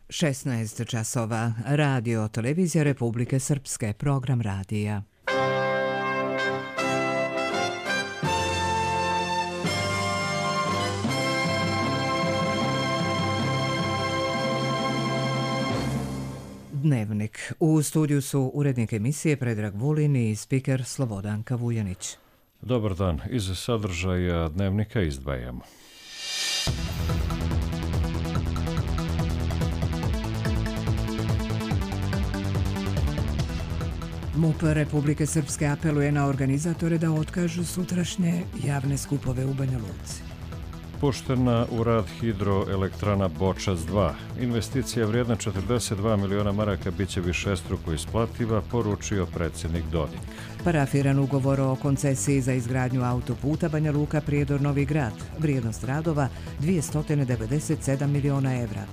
16 časova. Radio Televizija Republike Srpske. Program radija. Dnevnik. U studiju su urednik emisije Predrag Vulin i spiker Slobodanka Vujanić. Dobar dan. Iz sadržaja dnevnika izdvajamo. MUP Republike Srpske apeluje na organizatore da otkažu sutrašnje javne skupove u Banja Luci. Puštena u rad hidroelektrana Bočac 2. Investicija vrijedna 42 miliona maraka biće višestruko isplativa, poručio predsjednik Dodik. Parafiran ugovor o koncesiji za izgradnju autoputa Banja Luka Prijedor Novi Grad. Vrijednost radova 297 miliona evra.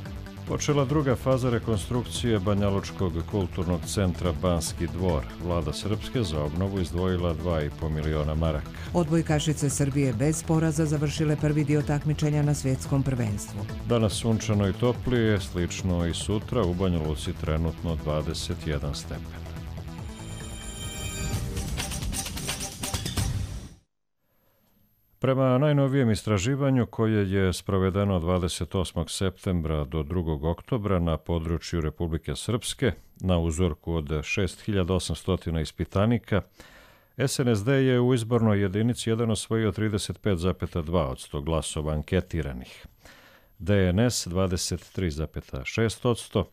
Počela druga faza rekonstrukcije Banjalučkog kulturnog centra Banski dvor. Vlada Srpske za obnovu izdvojila 2,5 miliona maraka. Odbojkašice Srbije bez poraza završile prvi dio takmičenja na svjetskom prvenstvu. Danas sunčano i toplije, slično i sutra, u Banja Luci trenutno 21 stepen. Prema najnovijem istraživanju koje je sprovedeno 28. septembra do 2. oktobra na području Republike Srpske, na uzorku od 6800 ispitanika, SNSD je u izbornoj jedinici 1 osvojio 35,2% glasova anketiranih, DNS 23,6%,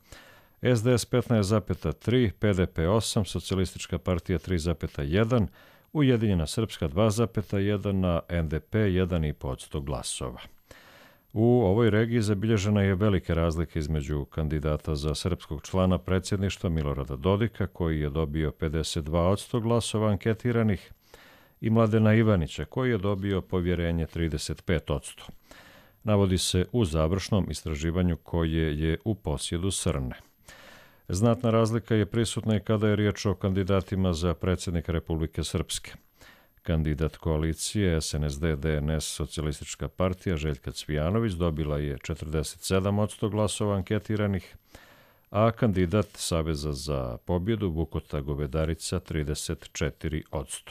SDS 15,3%, PDP 8%, Socijalistička partija 3,1%, Ujedinjena Srpska 2,1%, a NDP 1,5% glasova. U ovoj regiji zabilježena je velika razlika između kandidata za srpskog člana predsjedništva Milorada Dodika, koji je dobio 52% glasova anketiranih, i Mladena Ivanića, koji je dobio povjerenje 35%. Navodi se u završnom istraživanju koje je u posjedu Srne. Znatna razlika je prisutna i kada je riječ o kandidatima za predsjednika Republike Srpske. Kandidat koalicije SNSD DNS Socijalistička partija Željka Cvijanović dobila je 47% glasova anketiranih, a kandidat Saveza za pobjedu Vukota Govedarica 34%.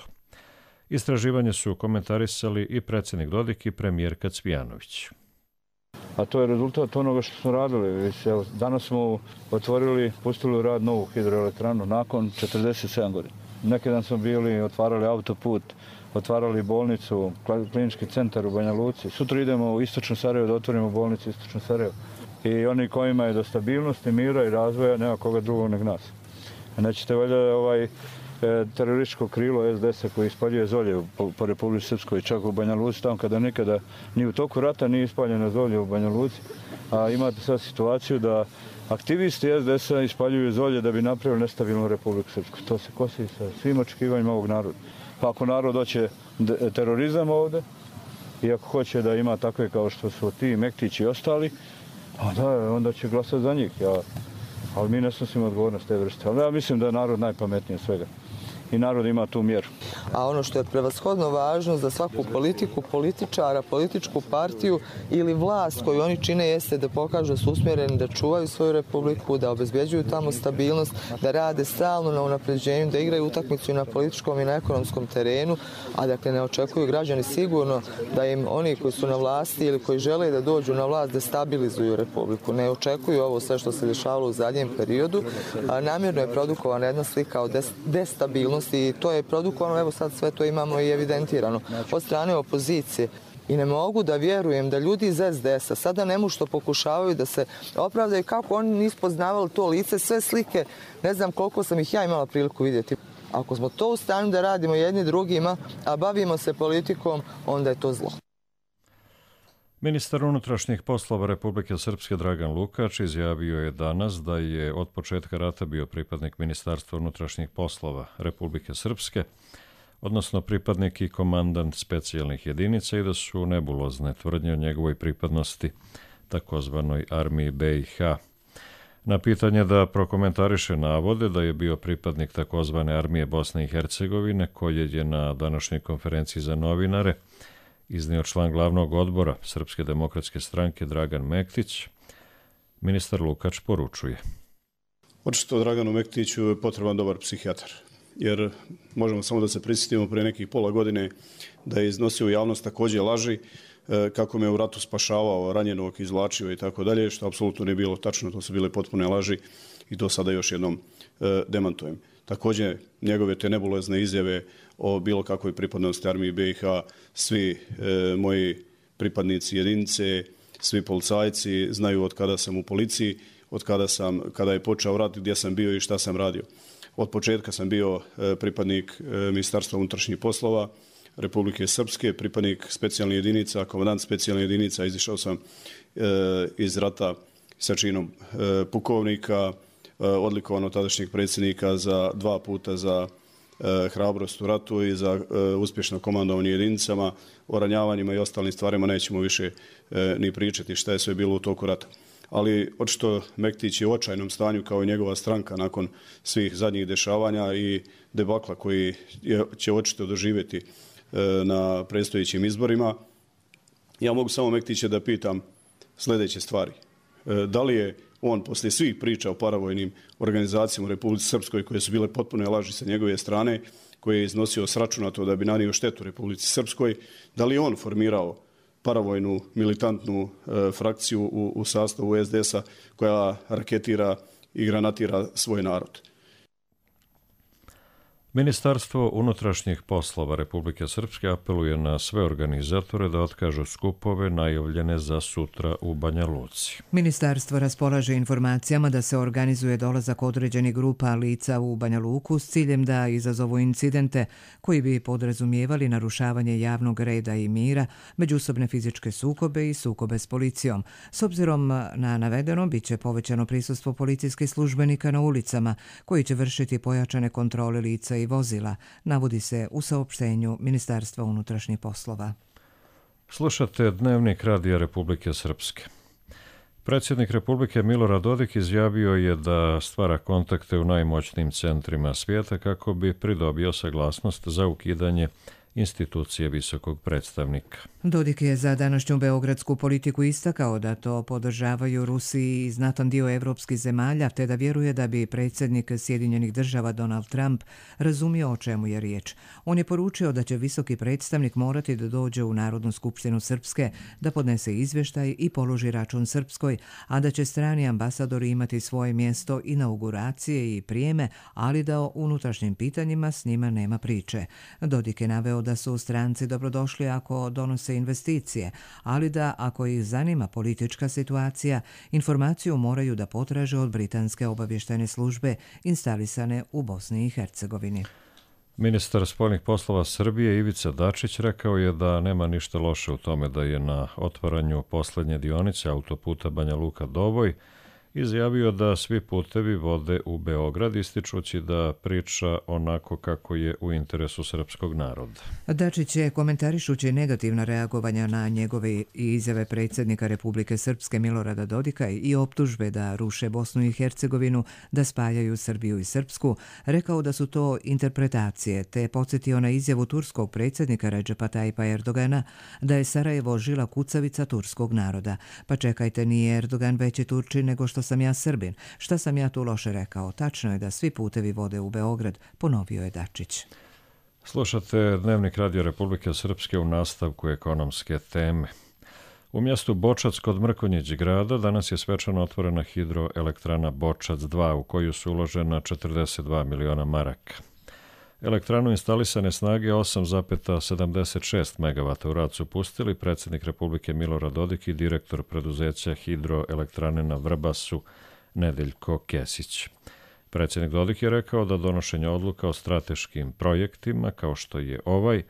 Istraživanje su komentarisali i predsjednik Dodik i premijerka Cvijanović. A to je rezultat onoga što smo radili. Danas smo pustili u rad novu hidroelektranu nakon 47 godina. Neki dan smo bili, otvarali autoput, otvarali bolnicu, klinički centar u Banja Luci. Sutra idemo u Istočno Sarajevo da otvorimo bolnicu Istočno Sarajevo. I oni kojima je do stabilnosti, mira i razvoja nema koga drugog nego nas. Nećete valjda terorističko krilo SDS-a koji ispaljuje zolje po Republici Srpskoj, čak u Banja Luci, tamo kada nikada ni u toku rata nije ispaljeno zolje u Banja Luci. A imate sad situaciju da aktivisti SDS-a ispaljuju zolje da bi napravili nestabilnu Republiku Srpsku. To se kosi sa svim očekivanjima ovog naroda. Pa ako narod hoće terorizam ovde, i ako hoće da ima takve kao što su ti Mektići i ostali, onda će glasati za njih. Ali mi ne snosimo odgovornost te vrste. Ali ja mislim da je narod najpametniji od svega. I narod ima tu mjeru. A ono što je prevashodno važno za svaku politiku, političara, političku partiju ili vlast koju oni čine jeste da pokažu da su usmjereni, da čuvaju svoju republiku, da obezbjeđuju tamo stabilnost, da rade stalno na unapređenju, da igraju utakmicu i na političkom i na ekonomskom terenu, a dakle ne očekuju građani sigurno da im oni koji su na vlasti ili koji žele da dođu na vlast da stabilizuju republiku. Ne očekuju ovo sve što se dešavalo u zadnjem periodu. Namjerno je produkovana jedna slika o destabilnosti i to je produkovano, evo sad sve to imamo i evidentirano od strane opozicije. I ne mogu da vjerujem da ljudi iz SDS-a sada nemušto pokušavaju da se opravdaju kako oni nisu poznavali to lice, sve slike, ne znam koliko sam ih ja imala priliku vidjeti. Ako smo to u stanju da radimo jedni drugima, a bavimo se politikom, onda je to zlo. Ministar unutrašnjih poslova Republike Srpske Dragan Lukač izjavio je danas da je od početka rata bio pripadnik Ministarstva unutrašnjih poslova Republike Srpske, odnosno pripadnik i komandant specijalnih jedinica, i da su nebulozne tvrdnje o njegovoj pripadnosti takozvanoj armiji BiH. Na pitanje da prokomentariše navode da je bio pripadnik takozvane armije Bosne i Hercegovine, koje je na današnjoj konferenciji za novinare iznio član glavnog odbora Srpske demokratske stranke Dragan Mektić, Ministar Lukač poručuje. Očito Draganu Mektiću je potreban dobar psihijatar, jer možemo samo da se prisjetimo prije nekih pola godine da je iznosio u javnost također laži kako me u ratu spašavao, ranjenog, izvlačio i tako dalje, što apsolutno nije bilo tačno, to su bile potpune laži i to sada još jednom demantujem. Također njegove te nebulozne izjave o bilo kakvoj pripadnosti armiji BiH, svi moji pripadnici jedinice, svi policajci znaju od kada sam u policiji, kada je počeo rat, gdje sam bio i šta sam radio. Od početka sam bio pripadnik Ministarstva unutrašnjih poslova Republike Srpske, pripadnik specijalnih jedinica, komandant specijalnih jedinica, izišao sam iz rata sa činom pukovnika, odlikovan od tadašnjeg predsjednika za 2 puta za hrabrost u ratu i za uspješno komandovanje jedinicama. O ranjavanjima i ostalim stvarima nećemo više ni pričati šta je sve bilo u toku rata. Ali očito Mektić je u očajnom stanju kao i njegova stranka nakon svih zadnjih dešavanja i debakla koji će očito doživjeti na predstojećim izborima. Ja mogu samo Mektića da pitam sljedeće stvari. Da li je on poslije svih priča o paravojnim organizacijama u Republici Srpskoj koje su bile potpune laži sa njegove strane, koje je iznosio sračunato da bi nanio štetu Republici Srpskoj, da li je on formirao paravojnu militantnu frakciju u sastavu SDS-a koja raketira i granatira svoj narod? Ministarstvo unutrašnjih poslova Republike Srpske apeluje na sve organizatore da otkažu skupove najavljene za sutra u Banja Luci. Ministarstvo raspolaže informacijama da se organizuje dolazak određenih grupa lica u Banja Luku s ciljem da izazovu incidente koji bi podrazumijevali narušavanje javnog reda i mira, međusobne fizičke sukobe i sukobe s policijom. S obzirom na navedeno, bit će povećano prisustvo policijskih službenika na ulicama koji će vršiti pojačane kontrole lica i vozila, navodi se u saopštenju Ministarstva unutrašnjih poslova. Slušate Dnevnik Radija Republike Srpske. Predsjednik Republike Milorad Dodik izjavio je da stvara kontakte u najmoćnijim centrima svijeta kako bi pridobio saglasnost za ukidanje institucije visokog predstavnika. Dodik je za današnju beogradsku politiku istakao da to podržavaju Rusiji i znatan dio evropskih zemalja, te da vjeruje da bi predsjednik Sjedinjenih država Donald Trump razumio o čemu je riječ. On je poručio da će visoki predstavnik morati da dođe u Narodnu skupštinu Srpske, da podnese izvještaj i položi račun Srpskoj, a da će strani ambasadori imati svoje mjesto inauguracije i prijeme, ali da o unutrašnjim pitanjima s njima nema priče. Dodik je naveo da su stranci dobrodošli ako donose investicije, ali da ako ih zanima politička situacija, informaciju moraju da potraže od britanske obavještajne službe instalisane u Bosni i Hercegovini. Ministar spoljnih poslova Srbije Ivica Dačić rekao je da nema ništa loše u tome da je na otvaranju posljednje dionice autoputa Banja Luka-Doboj izjavio da svi putevi vode u Beograd, ističući da priča onako kako je u interesu srpskog naroda. Dačić je, komentarišući negativna reagovanja na njegove izjave predsjednika Republike Srpske Milorada Dodika i optužbe da ruše Bosnu i Hercegovinu, da spajaju Srbiju i Srpsku, rekao da su to interpretacije, te podsjetio na izjavu turskog predsjednika Redžepa Tajipa Erdogana da je Sarajevo žila kucavica turskog naroda. Pa čekajte, nije Erdogan veći Turčin nego što sam ja Srbin. Šta sam ja tu loše rekao? Tačno je da svi putevi vode u Beograd, ponovio je Dačić. Slušate Dnevnik Radija Republike Srpske u nastavku ekonomske teme. U mjestu Bočac kod Mrkonjić grada danas je svečano otvorena hidroelektrana Bočac 2 u koju su uložena 42 miliona maraka. Elektranu instalisane snage 8,76 MW u rad su pustili predsjednik Republike Milorad Dodik i direktor preduzeća hidroelektrane na Vrbasu Nedeljko Kesić. Predsjednik Dodik je rekao da donošenje odluka o strateškim projektima, kao što je ovaj,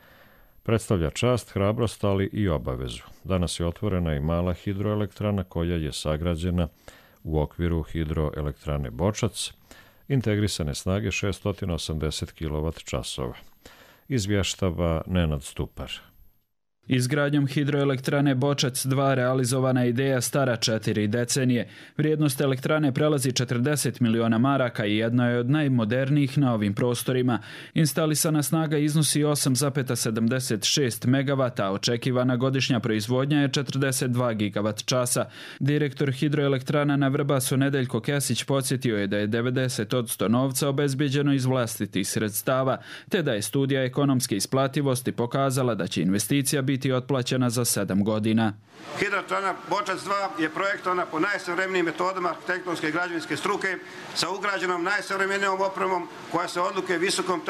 predstavlja čast, hrabrost, ali i obavezu. Danas je otvorena i mala hidroelektrana koja je sagrađena u okviru hidroelektrane Bočac, integrisane snage 680 kWh. Izvještava Nenad Stupar. Izgradnjom hidroelektrane Bočac 2 realizovana je ideja stara 4 decenije. Vrijednost elektrane prelazi 40 miliona maraka i jedna je od najmodernijih na ovim prostorima. Instalisana snaga iznosi 8,76 MW, a očekivana godišnja proizvodnja je 42 gigavat časa. Direktor hidroelektrana na Vrbasu Nedeljko Kesić podsjetio je da je 90% novca obezbijeđeno iz vlastitih sredstava, te da je studija ekonomske isplativosti pokazala da će investicija biti otplaćena za 7 godina. Hidroelektrana Bočac 2 je projektovana po najsavremenijim metodama arhitektonske i građevinske struke sa ugrađenom najsavremenijom opremom koja se odlikuje visokom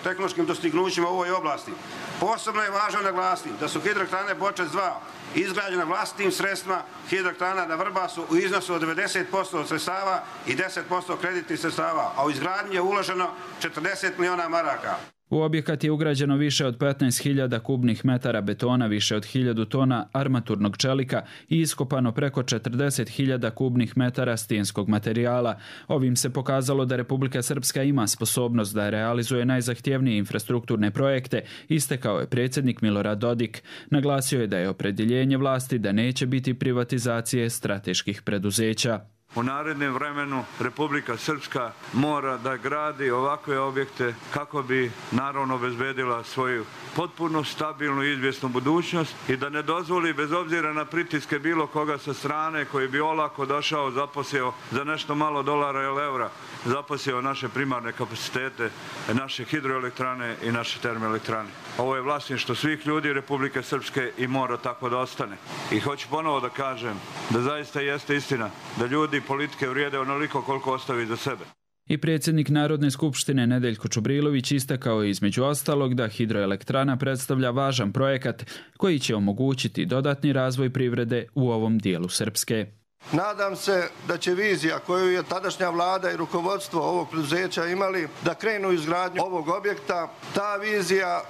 tehnološkim dostignućima u ovoj oblasti. Posebno je važno naglasiti da su hidroelektrane Bočac 2 izgrađena vlastitim sredstvima hidroelektrana na Vrbasu u iznosu od 90% od sredstava i 10% kreditnih sredstava, a u izgradnji je uloženo 40 miliona maraka. U objekat je ugrađeno više od 15.000 kubnih metara betona, više od 1.000 tona armaturnog čelika i iskopano preko 40.000 kubnih metara stijenskog materijala. Ovim se pokazalo da Republika Srpska ima sposobnost da realizuje najzahtjevnije infrastrukturne projekte, istakao je predsjednik Milorad Dodik. Naglasio je da je opredjeljenje vlasti da neće biti privatizacije strateških preduzeća. U narednom vremenu Republika Srpska mora da gradi ovakve objekte kako bi naravno obezbedila svoju potpuno stabilnu i izvjesnu budućnost i da ne dozvoli bez obzira na pritiske bilo koga sa strane koji bi olako došao, zaposlio za nešto malo dolara ili eura, zaposlio naše primarne kapacitete, naše hidroelektrane i naše termoelektrane. Ovo je vlasništvo svih ljudi Republike Srpske i mora tako da ostane. I hoću ponovo da kažem da zaista jeste istina da ljudi politike vrijede onoliko koliko ostavi za sebe. I predsjednik Narodne skupštine Nedeljko Čubrilović istakao je između ostalog da hidroelektrana predstavlja važan projekat koji će omogućiti dodatni razvoj privrede u ovom dijelu Srpske. Nadam se da će vizija koju je tadašnja vlada i rukovodstvo ovog preduzeća imali da krenu izgradnju ovog objekta, ta vizija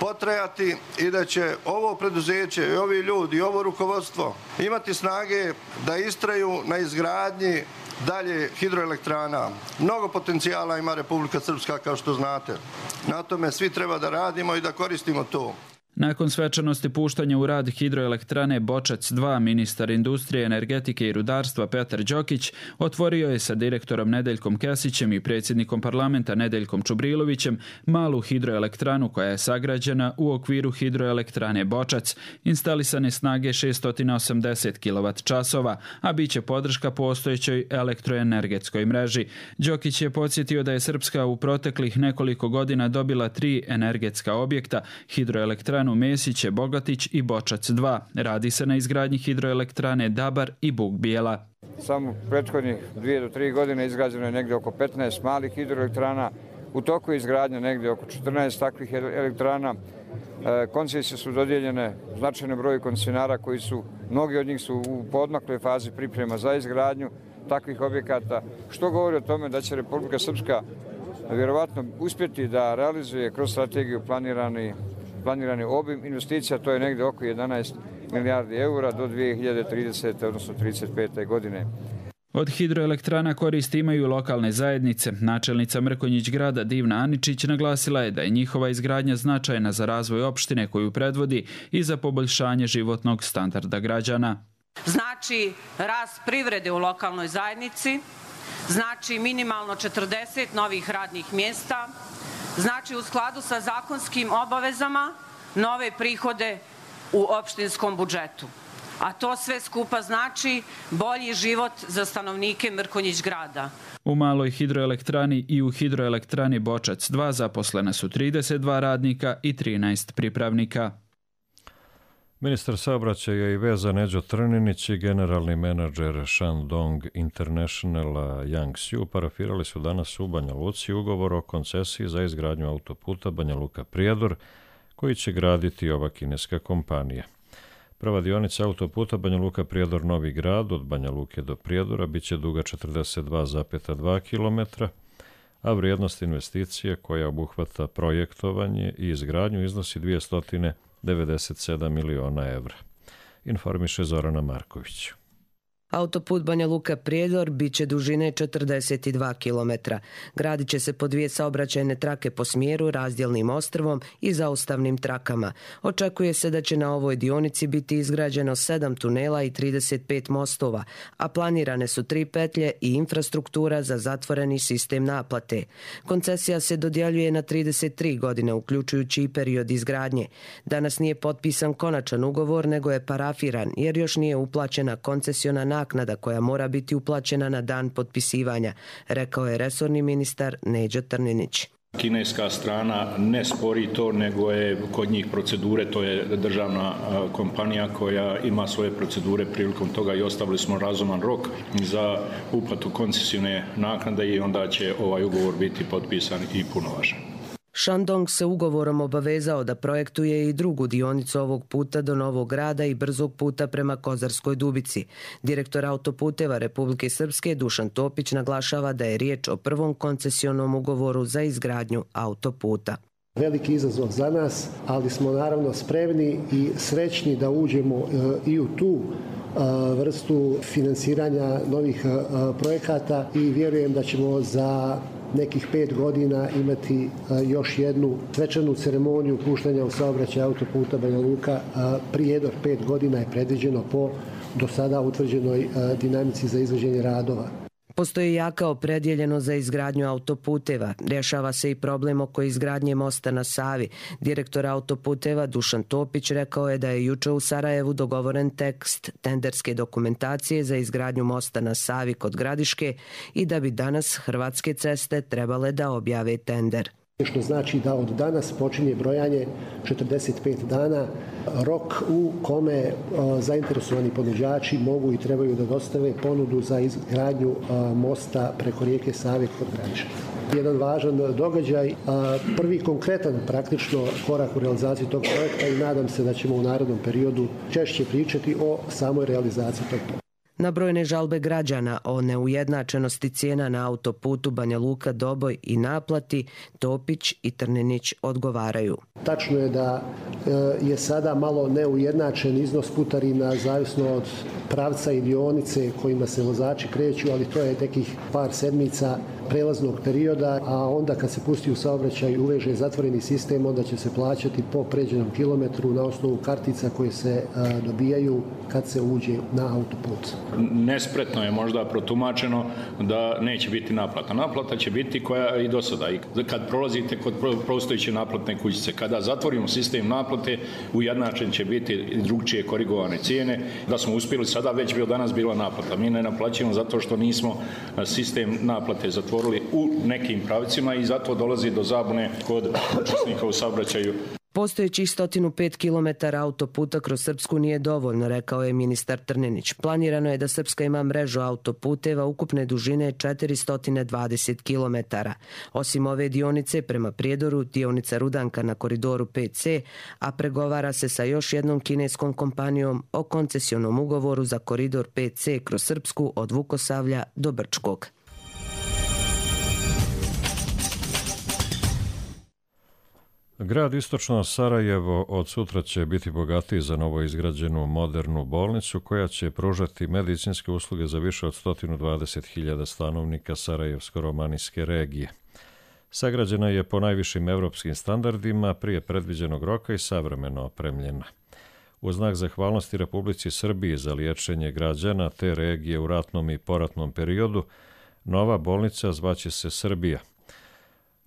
potrajati i da će ovo preduzeće i ovi ljudi i ovo rukovodstvo imati snage da istraju na izgradnji dalje hidroelektrana. Mnogo potencijala ima Republika Srpska, kao što znate. Na tome svi treba da radimo i da koristimo to. Nakon svečanosti puštanja u rad hidroelektrane Bočac 2, ministar industrije, energetike i rudarstva Petar Đokić otvorio je sa direktorom Nedeljkom Kesićem i predsjednikom parlamenta Nedeljkom Čubrilovićem malu hidroelektranu koja je sagrađena u okviru hidroelektrane Bočac, instalisane snage 680 kWh, a bit će podrška postojećoj elektroenergetskoj mreži. Đokić je podsjetio da je Srpska u proteklih nekoliko godina dobila 3 energetska objekta, hidroelektranu Mesiće, Bogatić i Bočac 2. Radi se na izgradnji hidroelektrane Dabar i Buk Bijela. Samo prethodnih 2 do 3 godine izgrađeno je negdje oko 15 malih hidroelektrana. U toku je izgradnja negdje oko 14 takvih elektrana. Koncesije su dodijeljene značajnom broju koncesionara koji su, mnogi od njih su u poodmakloj fazi priprema za izgradnju takvih objekata, što govori o tome da će Republika Srpska vjerovatno uspjeti da realizuje kroz strategiju planirani obim investicija, to je negdje oko 11 milijardi eura do 2030. odnosno 35. godine. Od hidroelektrana koristi imaju lokalne zajednice. Načelnica Mrkonjić grada Divna Aničić naglasila je da je njihova izgradnja značajna za razvoj opštine koju predvodi i za poboljšanje životnog standarda građana. Znači rast privrede u lokalnoj zajednici, znači minimalno 40 novih radnih mjesta, znači u skladu sa zakonskim obavezama nove prihode u opštinskom budžetu. A to sve skupa znači bolji život za stanovnike Mrkonjić grada. U maloj hidroelektrani i u hidroelektrani Bočac 2 zaposlena su 32 radnika i 13 pripravnika. Ministar saobraćaja i veza Neđo Trninić i generalni menadžer Shandong International Yang Xiu parafirali su danas u Banja Luci ugovor o koncesiji za izgradnju autoputa Banja Luka-Prijedor, koji će graditi ova kineska kompanija. Prva dionica autoputa Banja Luka-Prijedor Novi Grad od Banja Luke do Prijedora biće duga 42,2 km, a vrijednost investicije koja obuhvata projektovanje i izgradnju iznosi 297 miliona evra, informiše Zorana Marković. Autoput Banja Luka-Prijedor bit će dužine 42 km. Gradit će se po 2 saobraćajne trake po smjeru, razdjelnim ostrvom i zaustavnim trakama. Očekuje se da će na ovoj dionici biti izgrađeno 7 tunela i 35 mostova, a planirane su 3 petlje i infrastruktura za zatvoreni sistem naplate. Koncesija se dodjeljuje na 33 godine, uključujući i period izgradnje. Danas nije potpisan konačan ugovor, nego je parafiran, jer još nije uplaćena koncesiona naknada koja mora biti uplaćena na dan potpisivanja, rekao je resorni ministar Neđo Trninić. Kineska strana ne spori to, nego je kod njih procedure, to je državna kompanija koja ima svoje procedure prilikom toga i ostavili smo razuman rok za uplatu koncesione naknade i onda će ovaj ugovor biti potpisan i punovažan. Shandong se ugovorom obavezao da projektuje i drugu dionicu ovog puta do Novog Grada i brzog puta prema Kozarskoj Dubici. Direktor autoputeva Republike Srpske Dušan Topić naglašava da je riječ o prvom koncesionom ugovoru za izgradnju autoputa. Veliki izazov za nas, ali smo naravno spremni i srećni da uđemo i u tu vrstu finansiranja novih projekata i vjerujem da ćemo za nekih 5 godina imati još jednu svečanu ceremoniju puštanja u saobraćaj autoputa Banja Luka. Prijedor 5 godina je predviđeno po do sada utvrđenoj dinamici za izvođenje radova. Postoji jaka opredjeljenost za izgradnju autoputeva. Rješava se i problem oko izgradnje mosta na Savi. Direktor autoputeva Dušan Topić rekao je da je juče u Sarajevu dogovoren tekst tenderske dokumentacije za izgradnju mosta na Savi kod Gradiške i da bi danas Hrvatske ceste trebale da objave tender. Što znači da od danas počinje brojanje 45 dana, rok u kome zainteresovani ponuđači mogu i trebaju da dostave ponudu za izgradnju mosta preko rijeke Save kod Gradiške. Jedan važan događaj, prvi konkretan praktično korak u realizaciji tog projekta i nadam se da ćemo u narednom periodu češće pričati o samoj realizaciji tog projekta. Na brojne žalbe građana o neujednačenosti cijena na autoputu Banja Luka-Doboj i naplati, Topić i Trninić odgovaraju. Tačno je da je sada malo neujednačen iznos putarina zavisno od pravca i dionice kojima se vozači kreću, ali to je nekih par sedmica prelaznog perioda, a onda kad se pusti u saobraćaj uveže zatvoreni sistem, onda će se plaćati po pređenom kilometru na osnovu kartica koje se dobijaju kad se uđe na autoput. Nespretno je možda protumačeno da neće biti naplata. Naplata će biti koja i do sada. Kad prolazite kod postojeće naplatne kućice, kada zatvorimo sistem naplate, ujednačen će biti drugčije korigovane cijene. Da smo uspjeli sada, već bi od danas bila naplata. Mi ne naplaćujemo zato što nismo sistem naplate zatvorili u nekim pravcima i zato dolazi do zabune kod učesnika u saobraćaju. Postojećih 105 km autoputa kroz Srpsku nije dovoljno, rekao je ministar Trninić. Planirano je da Srpska ima mrežu autoputeva ukupne dužine 420 km. Osim ove dionice prema Prijedoru, dionica Rudanka na koridoru 5C, a pregovara se sa još jednom kineskom kompanijom o koncesionom ugovoru za koridor 5C kroz Srpsku od Vukosavlja do Brčkog. Grad Istočno Sarajevo od sutra će biti bogatiji za novo izgrađenu modernu bolnicu koja će pružati medicinske usluge za više od 120.000 stanovnika Sarajevsko-romanijske regije. Sagrađena je po najvišim evropskim standardima prije predviđenog roka i savremeno opremljena. U znak zahvalnosti Republici Srbiji za liječenje građana te regije u ratnom i poratnom periodu, nova bolnica zvaće se Srbija.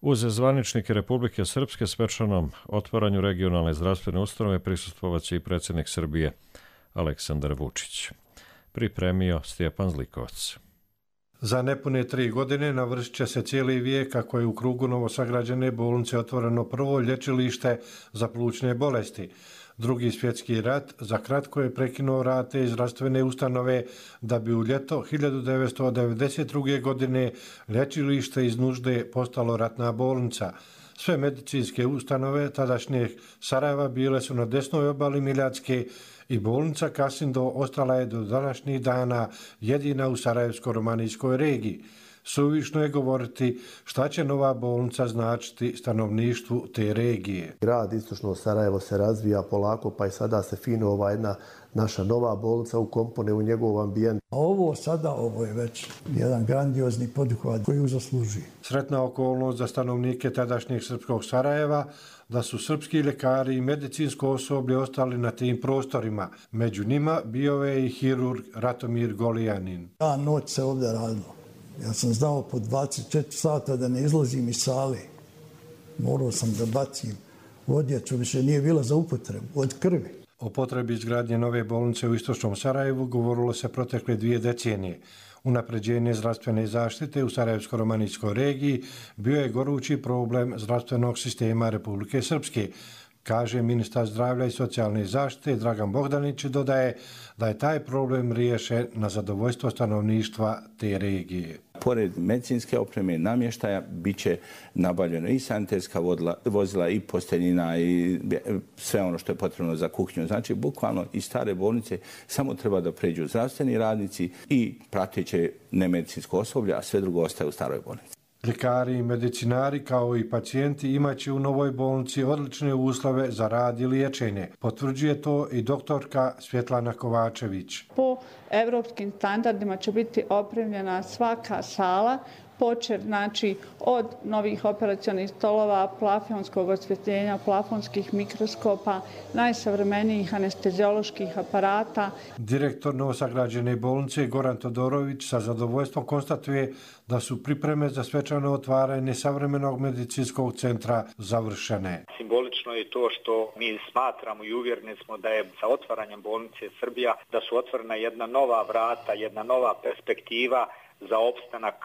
Uz zvaničnike Republike Srpske svečanom otvaranju regionalne zdravstvene ustanove prisustvovaće i predsjednik Srbije Aleksandar Vučić. Pripremio Stjepan Zlikovac. Za nepune 3 godine navršit će se cijeli vijek kako je u krugu novosagrađene bolnice otvoreno prvo lječilište za plućne bolesti. Drugi svjetski rat za kratko je prekinuo rad te zdravstvene ustanove da bi u ljeto 1992. godine lječilište iz nužde postalo ratna bolnica. Sve medicinske ustanove tadašnjeg Sarajeva bile su na desnoj obali Miljacke i bolnica Kasindo ostala je do današnjih dana jedina u Sarajevsko-romanijskoj regiji. Suvišno je govoriti šta će nova bolnica značiti stanovništvu te regije. Grad Istočno Sarajevo se razvija polako, pa i sada se fino ova jedna naša nova bolnica ukompone u njegov ambijent. Ovo je već jedan grandiozni poduhvat koji ju zaslužuje. Sretna okolnost za stanovnike tadašnjeg srpskog Sarajeva da su srpski ljekari i medicinsko osoblje ostali na tim prostorima. Među njima bio je i hirurg Ratomir Golijanin. Noć se ovdje radilo. Ja sam znao po 24 sata da ne izlazim iz sale. Morao sam da bacim odjeću, više nije bila za upotrebu, od krvi. O potrebi izgradnje nove bolnice u Istočnom Sarajevu govorilo se protekle 2 decenije. Unapređenje zdravstvene zaštite u Sarajevsko-romanijskoj regiji bio je gorući problem zdravstvenog sistema Republike Srpske, kaže ministar zdravlja i socijalne zaštite Dragan Bogdanić i dodaje da je taj problem riješen na zadovoljstvo stanovništva te regije. Pored medicinske opreme, namještaja, bit će nabavljeno i sanitetska vozila i posteljina i sve ono što je potrebno za kuhinju. Znači, bukvalno iz stare bolnice samo treba da pređu zdravstveni radnici i prateće nemedicinsko osoblje, a sve drugo ostaje u staroj bolnici. Ljekari i medicinari kao i pacijenti imaće u novoj bolnici odlične uslove za rad i liječenje. Potvrđuje to i doktorka Svjetlana Kovačević. Po evropskim standardima će biti opremljena svaka sala, počev od novih operacionih stolova, plafonskog osvjetljenja, plafonskih mikroskopa, najsavremenijih anestezioloških aparata. Direktor novosagrađene bolnice Goran Todorović sa zadovoljstvom konstatuje da su pripreme za svečano otvaranje savremenog medicinskog centra završene. Simbolično je to što mi smatramo i uvjereni smo da je sa otvaranjem bolnice Srbija da su otvorena jedna nova vrata, jedna nova perspektiva za opstanak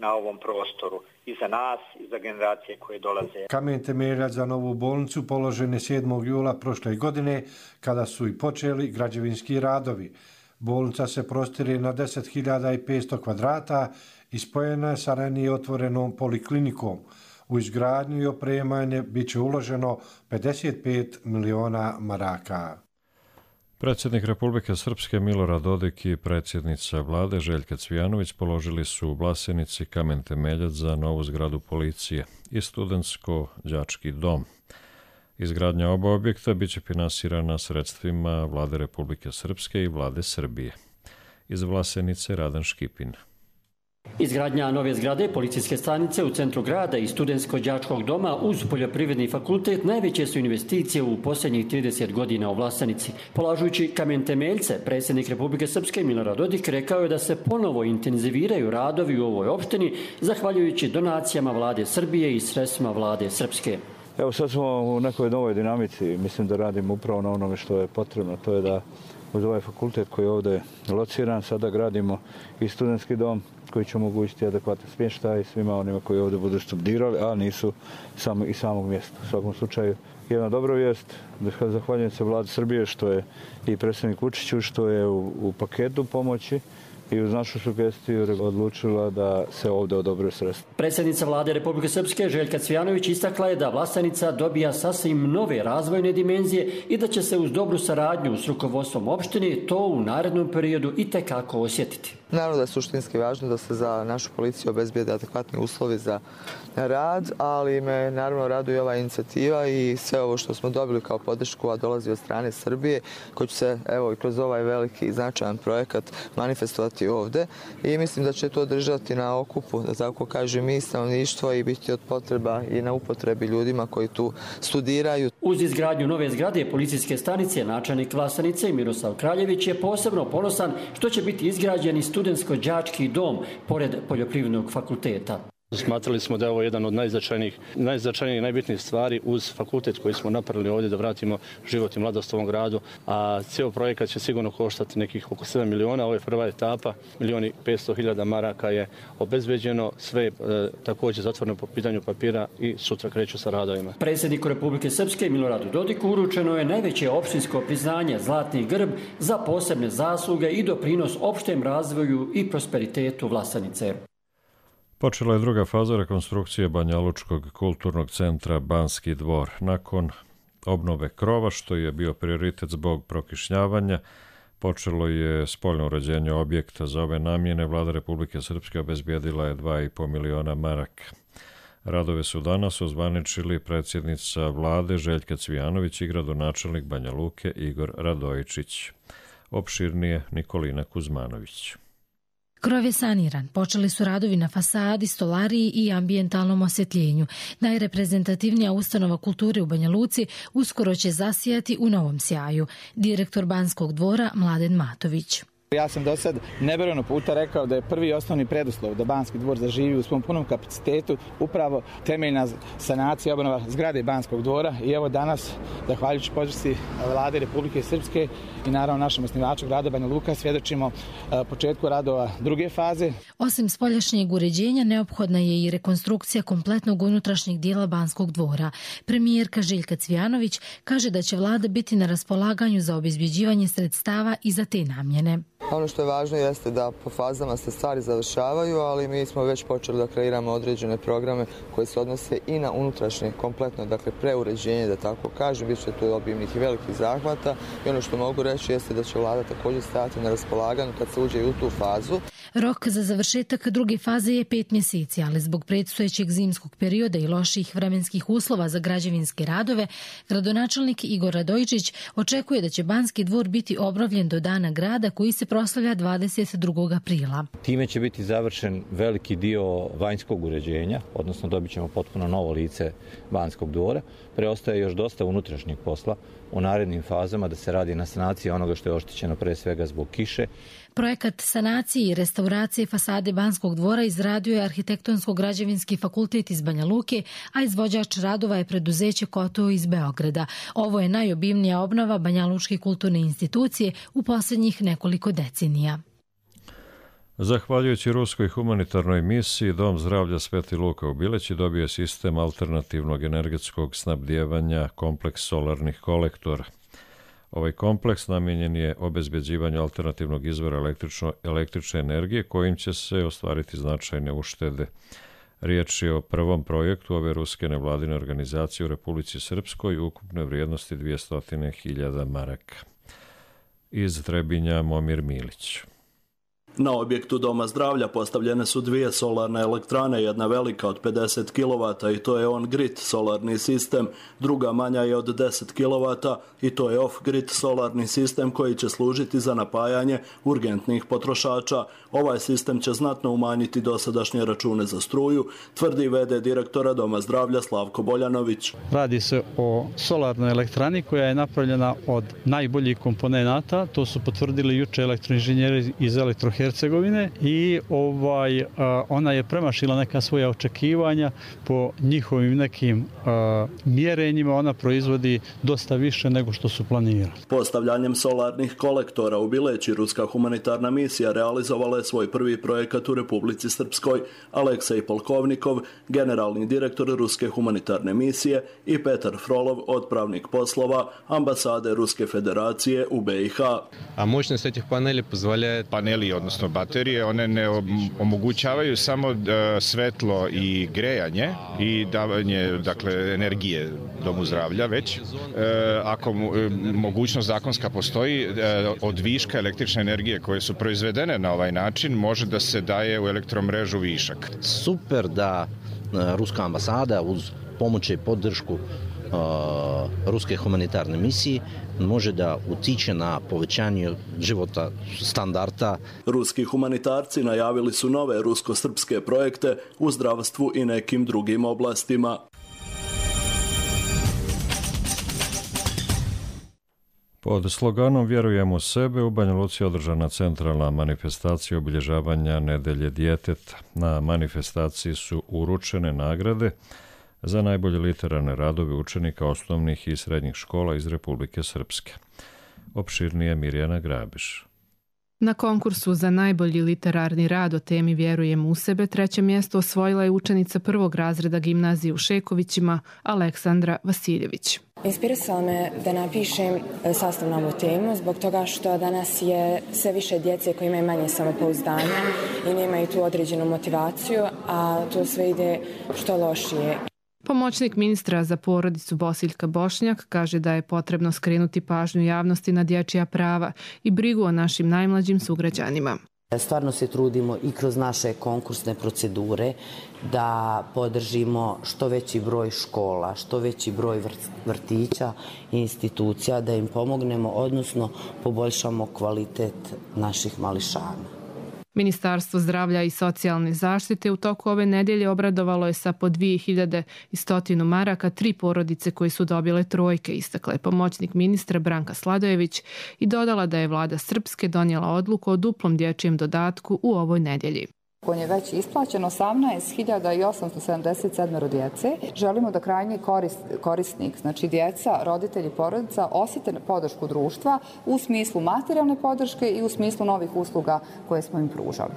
na ovom prostoru i za nas i za generacije koje dolaze. Kamen temeljac za novu bolnicu položen je 7. jula prošle godine kada su i počeli građevinski radovi. Bolnica se prostire na 10.500 kvadrata i spojena je sa ranije otvorenom poliklinikom. U izgradnju i opremanje bit će uloženo 55 miliona maraka. Predsjednik Republike Srpske Milorad Dodik i predsjednica vlade Željka Cvijanović položili su u Vlasenici kamen temeljac za novu zgradu policije i studentsko-đački dom. Izgradnja oba objekta biće finansirana sredstvima vlade Republike Srpske i vlade Srbije. Iz Vlasenice Radan Škipin. Izgradnja nove zgrade policijske stanice u centru grada i studentsko-đačkog doma uz poljoprivredni fakultet najveće su investicije u posljednjih 30 godina u Vlasenici. Polažujući kamen temeljce, predsjednik Republike Srpske Milorad Dodik rekao je da se ponovo intenziviraju radovi u ovoj opštini zahvaljujući donacijama vlade Srbije i sredstvima vlade Srpske. Evo sad smo u nekoj novoj dinamici, mislim da radimo upravo na onome što je potrebno, to je da uz ovaj fakultet koji je ovdje lociran, sada gradimo i studentski dom koji će omogućiti adekvatan smještaj svima onima koji ovdje budu studirali, a nisu iz samog mjesta. U svakom slučaju, jedna dobra vijest, zahvaljujem se vladi Srbije što je i predsjednik Vučiću, što je u paketu pomoći i uz našu sugestiju odlučila da se ovdje odobre sredstva. Predsjednica vlade Republike Srpske Željka Cvijanović istakla je da Vlasenica dobija sasvim nove razvojne dimenzije i da će se uz dobru saradnju s rukovodstvom opštine to u narednom periodu itekako osjetiti. Naravno da je suštinski važno da se za našu policiju obezbijede adekvatni uslovi za rad, ali me naravno raduje ova inicijativa i sve ovo što smo dobili kao podršku, a dolazi od strane Srbije, koji će se evo i kroz ovaj veliki i značajan projekat manifestovati ovdje i mislim da će to držati na okupu, da tako kažem, i stanovništvo i biti od potreba i na upotrebi ljudima koji tu studiraju. Uz izgradnju nove zgrade policijske stanice, načelnik Vlasenice Miroslav Kraljević je posebno ponosan što će biti izgrađen i studentsko-đački dom pored poljoprivrednog fakulteta. Smatrali smo da je ovo jedan od najznačajnijih, najbitnijih stvari uz fakultet koji smo napravili ovdje da vratimo život i mladost ovom gradu, a cijel projekat će sigurno koštati nekih oko 7 miliona. Ovo je prva etapa, 1.500.000 maraka je obezbeđeno, sve također zatvoreno po pitanju papira i sutra kreću sa radovima. Predsjedniku Republike Srpske Miloradu Dodiku uručeno je najveće opštinsko priznanje Zlatni grb za posebne zasluge i doprinos opštem razvoju i prosperitetu Vlasenice. Počela je druga faza rekonstrukcije Banjalučkog kulturnog centra Banski dvor. Nakon obnove krova, što je bio prioritet zbog prokišnjavanja, Počelo je spoljno uređenje objekta za ove namjene. Vlada Republike Srpske obezbijedila je 2,5 miliona maraka. Radove su danas ozvaničili predsjednica vlade Željka Cvijanović i gradonačelnik Banja Luke Igor Radojičić. Opširnije Nikolina Kuzmanović. Krov je saniran, počeli su radovi na fasadi, stolariji i ambijentalnom osvjetljenju. Najreprezentativnija ustanova kulture u Banja Luci uskoro će zasijati u novom sjaju. Direktor Banskog dvora Mladen Matović. Ja sam do sad nebrojeno puta rekao da je prvi osnovni preduslov da Banski dvor zaživi u svom punom kapacitetu upravo temeljna sanacija obnova zgrade Banskog dvora i evo danas, zahvaljujući podršci Vlade Republike Srpske i naravno našem osnivaču grada Banja Luka, svjedočimo početku radova druge faze. Osim spoljašnjeg uređenja, neophodna je i rekonstrukcija kompletnog unutrašnjeg dijela Banskog dvora. Premijerka Željka Cvijanović kaže da će vlada biti na raspolaganju za obezbjeđivanje sredstava i za te namjene. Ono što je važno jeste da po fazama se stvari završavaju, ali mi smo već počeli da kreiramo određene programe koji se odnose i na unutrašnje kompletno, dakle preuređenje, da tako kažem, bit će tu obimnih i velikih zahvata i ono što mogu reći jeste da će vlada također stajati na raspolaganju kad se uđe u tu fazu. Rok za završetak druge faze je 5 mjeseci, ali zbog predstojećeg zimskog perioda i loših vremenskih uslova za građevinske radove, gradonačelnik Igor Radojičić očekuje da će Banski dvor biti obnovljen do Dana grada koji se proslavlja 22. aprila. Time će biti završen veliki dio vanjskog uređenja, odnosno dobit ćemo potpuno novo lice Banskog dvora. Preostaje još dosta unutrašnjeg posla u narednim fazama da se radi na sanaciji onoga što je oštećeno pre svega zbog kiše. Projekat sanacije i restauracije fasade Banskog dvora izradio je Arhitektonsko-građevinski fakultet iz Banja Luke, a izvođač radova je preduzeće Koto iz Beograda. Ovo je najobimnija obnova Banjalučke kulturne institucije u posljednjih nekoliko decenija. Zahvaljujući ruskoj humanitarnoj misiji, Dom zdravlja Sveti Luka u Bileći dobio sistem alternativnog energetskog snabdijevanja kompleks solarnih kolektora. Ovaj kompleks namijenjen je obezbeđivanju alternativnog izvora električne energije kojim će se ostvariti značajne uštede. Riječ je o prvom projektu ove ruske nevladine organizacije u Republici Srpskoj ukupne vrijednosti 200.000 maraka. Iz Trebinja Momir Milić. Na objektu Doma zdravlja postavljene su 2 solarne elektrane, jedna velika od 50 kW i to je on-grid solarni sistem, druga manja je od 10 kW i to je off-grid solarni sistem koji će služiti za napajanje urgentnih potrošača. Ovaj sistem će znatno umanjiti dosadašnje račune za struju, tvrdi v.d. direktora Doma zdravlja Slavko Boljanović. Radi se o solarnoj elektrani koja je napravljena od najboljih komponenata, to su potvrdili juče elektroinženjeri iz Hercegovine i ona je premašila neka svoja očekivanja po njihovim nekim mjerenjima, ona proizvodi dosta više nego što su planirali. Postavljanjem solarnih kolektora u Bileći ruska humanitarna misija realizovala je svoj prvi projekat u Republici Srpskoj. Aleksej Polkovnikov, generalni direktor ruske humanitarne misije, i Petar Frolov, odpravnik poslova ambasade Ruske federacije u BiH. A moćnost etih paneli, odnosno baterije, one ne omogućavaju samo svetlo i grejanje i davanje, dakle, energije Domu zdravlja, već ako mogućnost zakonska postoji, od viška električne energije koje su proizvedene na ovaj način može da se daje u elektromrežu višak. Super da ruska ambasada uz pomoć i podršku ruske humanitarne misije može da utiče na povećanje života standarda. Ruski humanitarci najavili su nove rusko-srpske projekte u zdravstvu i nekim drugim oblastima. Pod sloganom Vjerujem u sebe u Banja Luci održana centralna manifestacija obilježavanja Nedelje djeteta. Na manifestaciji su uručene nagrade za najbolje literarne radove učenika osnovnih i srednjih škola iz Republike Srpske. Opširnije Mirjana Grabiš. Na konkursu za najbolji literarni rad o temi Vjerujem u sebe 3. mjesto osvojila je učenica 1. razreda gimnazije u Šekovićima Aleksandra Vasiljević. Inspirisala me da napišem sastav na ovu temu zbog toga što danas je sve više djece koji imaju manje samopouzdanja i nemaju tu određenu motivaciju, a to sve ide što lošije. Pomoćnik ministra za porodicu Bosiljka Bošnjak kaže da je potrebno skrenuti pažnju javnosti na dječja prava i brigu o našim najmlađim sugrađanima. Stvarno se trudimo i kroz naše konkursne procedure da podržimo što veći broj škola, što veći broj vrtića i institucija, da im pomognemo, odnosno poboljšamo kvalitet naših mališana. Ministarstvo zdravlja i socijalne zaštite u toku ove nedjelje obradovalo je sa po 2100 maraka 3 porodice koje su dobile trojke, istakla je pomoćnik ministra Branka Sladojević i dodala da je vlada Srpske donijela odluku o duplom dječjem dodatku u ovoj nedjelji. On je već isplaćen 18.877 djece. Želimo da krajnji korisnik, znači djeca, roditelji, porodica, osjete podršku društva u smislu materijalne podrške i u smislu novih usluga koje smo im pružali.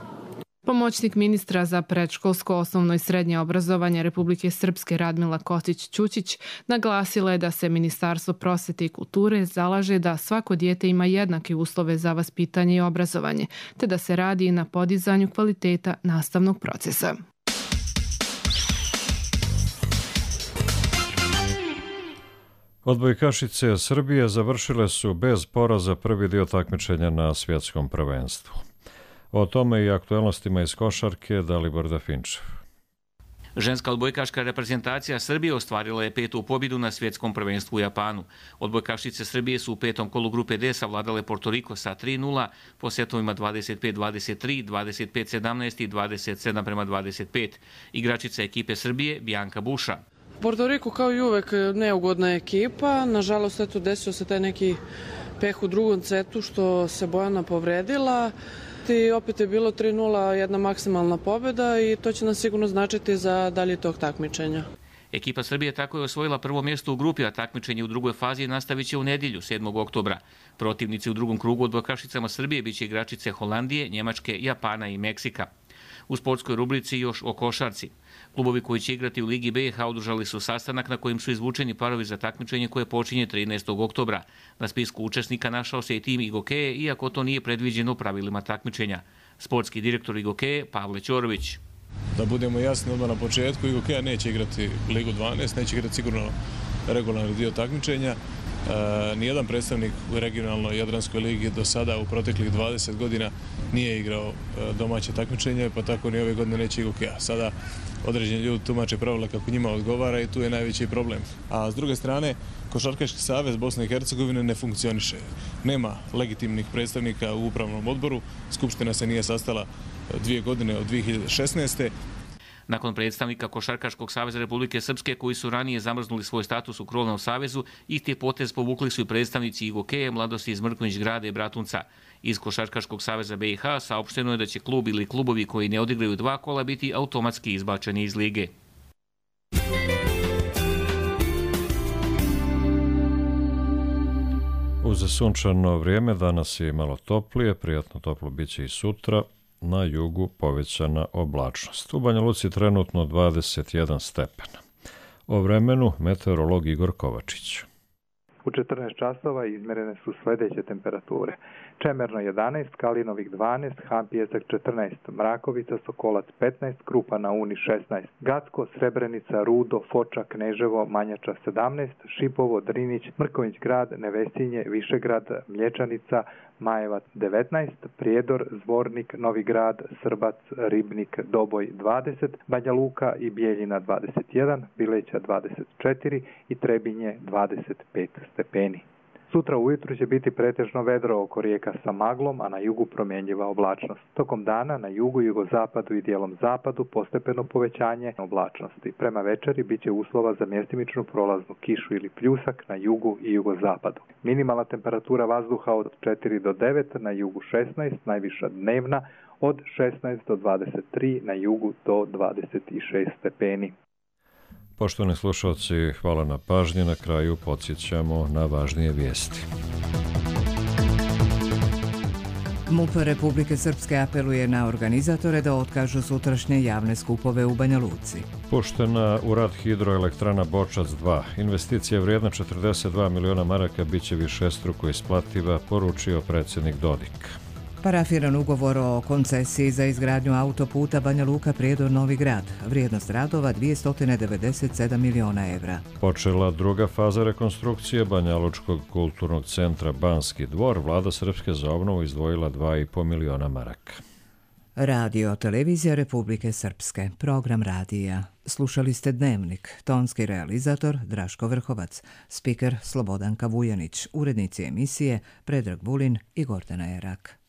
Pomoćnik ministra za predškolsko, osnovno i srednje obrazovanje Republike Srpske Radmila Kostić-Ćućić naglasila je da se Ministarstvo prosvete i kulture zalaže da svako dijete ima jednake uslove za vaspitanje i obrazovanje, te da se radi na podizanju kvaliteta nastavnog procesa. Odbojkašice Srbije završile su bez poraza prvi dio takmičenja na svjetskom prvenstvu. O tome i aktualnostima iz košarke Dalibor Dafinčev. Ženska odbojkaška reprezentacija Srbije ostvarila je 5. pobjedu na svjetskom prvenstvu u Japanu. Odbojkašice Srbije su u 5. kolu grupe D savladale Porto Riko sa 3:0 po setovima 25-23, 25-17 i 27-25. Igračica ekipe Srbije Bianca Buša. Porto Riko kao i uvek neugodna ekipa. Nažalost, eto, desio se taj neki peh u drugom setu što se Bojana povredila. I opet je bilo 3:0 jedna maksimalna pobjeda i to će nas sigurno značiti za dalje tog takmičenja. Ekipa Srbije tako je osvojila prvo mjesto u grupi, a takmičenje u drugoj fazi nastavit će u nedjelju, 7. oktobra. Protivnici u drugom krugu odbojkašicama Srbije biće igračice Holandije, Njemačke, Japana i Meksika. U sportskoj rubrici još o košarci. Klubovi koji će igrati u Ligi BiH održali su sastanak na kojem su izvučeni parovi za takmičenje koje počinje 13. oktobra. Na spisku učesnika našao se i tim Igokeje, iako to nije predviđeno pravilima takmičenja. Sportski direktor Igokeje Pavle Ćorović. Da budemo jasni odmah na početku, Igokeja neće igrati Ligu 12, neće igrati sigurno regularni dio takmičenja. Nijedan predstavnik u regionalnoj Jadranskoj ligi do sada u proteklih 20 godina nije igrao domaće takmičenje, pa tako ni ove godine neće Igokeja. Sada određeni ljudi tumače pravila kako njima odgovara i tu je najveći problem. A s druge strane, Košarkaški savez Bosne i Hercegovine ne funkcioniše. Nema legitimnih predstavnika u upravnom odboru, Skupština se nije sastala 2 godine od 2016. Nakon predstavnika Košarkaškog saveza Republike Srpske koji su ranije zamrznuli svoj status u Krovnom savezu, isti potez povukli su i predstavnici Igokeje, Mladosti iz Mrkonjić Grada i Bratunca. Iz Košarkaškog saveza BiH saopšteno je da će klub ili klubovi koji ne odigraju 2 kola biti automatski izbačeni iz lige. Uz sunčano vrijeme danas je malo toplije, prijatno toplo biće i sutra. Na jugu povećana oblačnost. U Banja Luci trenutno 21 stepena. O vremenu meteorolog Igor Kovačić. U 14 časova izmjerene su sljedeće temperature. Čemerno 11, Kalinovik 12, Hampijezak 14, Mrakovica, Sokolac 15, Krupa na Uni 16, Gacko, Srebrenica, Rudo, Foča, Kneževo, Manjača 17, Šipovo, Drinić, Mrkonjić Grad, Nevesinje, Višegrad, Mlječanica, Majevac 19, Prijedor, Zvornik, Novi Grad, Srbac, Ribnik, Doboj 20, Banja Luka i Bijeljina 21, Bileća 24 i Trebinje 25 stepeni. Sutra ujutru će biti pretežno vedro oko rijeka sa maglom, a na jugu promjenjiva oblačnost. Tokom dana na jugu, jugozapadu i dijelom zapadu postepeno povećanje oblačnosti. Prema večeri bit će uslova za mjestimičnu prolaznu kišu ili pljusak na jugu i jugozapadu. Minimalna temperatura vazduha od 4 do 9, na jugu 16, najviša dnevna od 16 do 23, na jugu do 26 stepeni. Poštovani slušalci, hvala na pažnji. Na kraju podsjećamo na važnije vijesti. MUP Republike Srpske apeluje na organizatore da otkažu sutrašnje javne skupove u Banja Luci. Puštena u rad hidroelektrana Bočac 2. Investicija vrijedna 42 miliona maraka biće višestruko isplativa, poručio predsjednik Dodik. Parafiran ugovor o koncesiji za izgradnju autoputa Banja Luka Prijedor Novi Grad. Vrijednost radova 297 miliona evra. Počela druga faza rekonstrukcije Banjalučkog kulturnog centra Banski dvor. Vlada Srpske za obnovu izdvojila 2,5 miliona maraka. Radio Televizija Republike Srpske. Program radija. Slušali ste Dnevnik. Tonski realizator Draško Vrhovac. Spiker Slobodanka Vujanić. Urednici emisije Predrag Vulin i Gordana Erak.